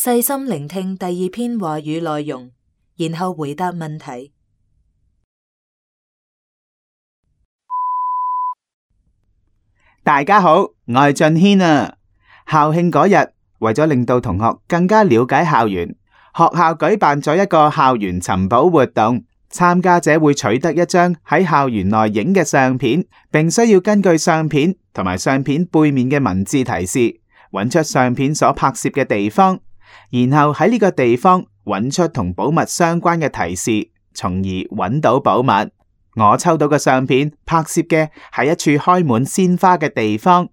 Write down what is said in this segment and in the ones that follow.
細心聆聽第二篇話語內容，然後回答問題。大家好，我係俊軒啊。校慶嗰日，為咗令到同學更加了解校園，學校舉辦咗一個校園尋寶活動。參加者會取得一張喺校園內影嘅相片，並需要根據相片同埋相片背面嘅文字提示，揾出相片所拍攝嘅地方，然後喺呢個地方揾出同寶物相關嘅提示，從而揾到寶物。我抽到嘅相片拍攝嘅係一處開滿鮮花嘅地方，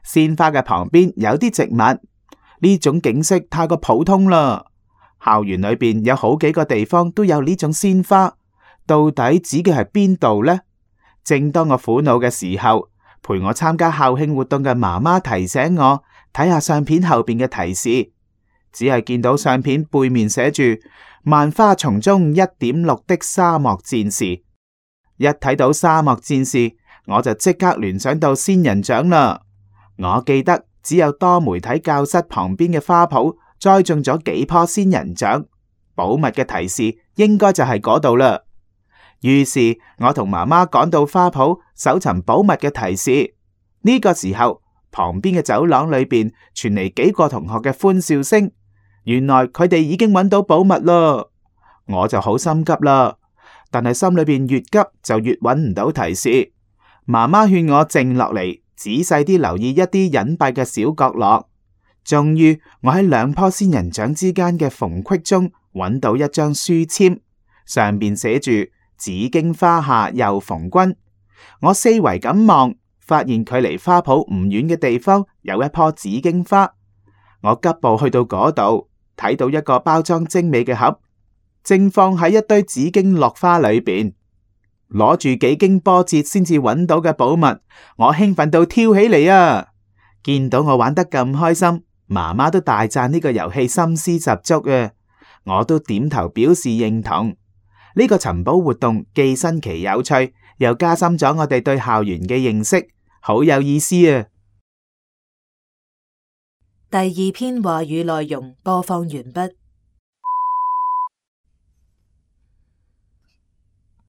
鮮花嘅旁邊有啲植物，呢種景色太過普通啦。校園裏邊有好幾個地方都有呢種鮮花，到底指嘅係邊度呢？正當我苦惱嘅時候，陪我參加校慶活動嘅媽媽提醒我睇下相片後邊嘅提示，只係見到相片背面寫住萬花叢中1.6的沙漠戰士。一睇到沙漠戰士，我就即刻聯想到仙人掌啦。我記得只有多媒體教室旁邊嘅花圃栽種咗幾棵仙人掌，寶物嘅提示應該就係嗰度啦。於是我同媽媽趕到花圃搜尋寶物嘅提示。呢個時候，旁邊嘅走廊裏邊傳嚟幾個同學嘅歡笑聲，原來佢哋已經揾到寶物啦。我就好心急啦，但係心裏邊越急就越揾唔到提示。媽媽勸我靜落嚟，仔細啲留意一啲隱蔽嘅小角落。終於我喺2棵仙人掌之間嘅縫隙中揾到一張書籤，上邊寫住紫荊花下又逢君。我四圍咁望，發現距離花圃唔遠嘅地方有一棵紫荊花。我急步去到嗰度，睇到一個包裝精美嘅盒，正放喺一堆紫荊落花裏邊。攞住幾經波折先至揾到嘅寶物，我興奮到跳起嚟啊！見到我玩得咁開心，媽媽都大讚呢個遊戲心思十足啊！我都點頭表示認同。呢個尋寶活動既新奇有趣，又加深咗我哋對校園嘅認識，好有意思啊！第二篇話語內容播放完畢。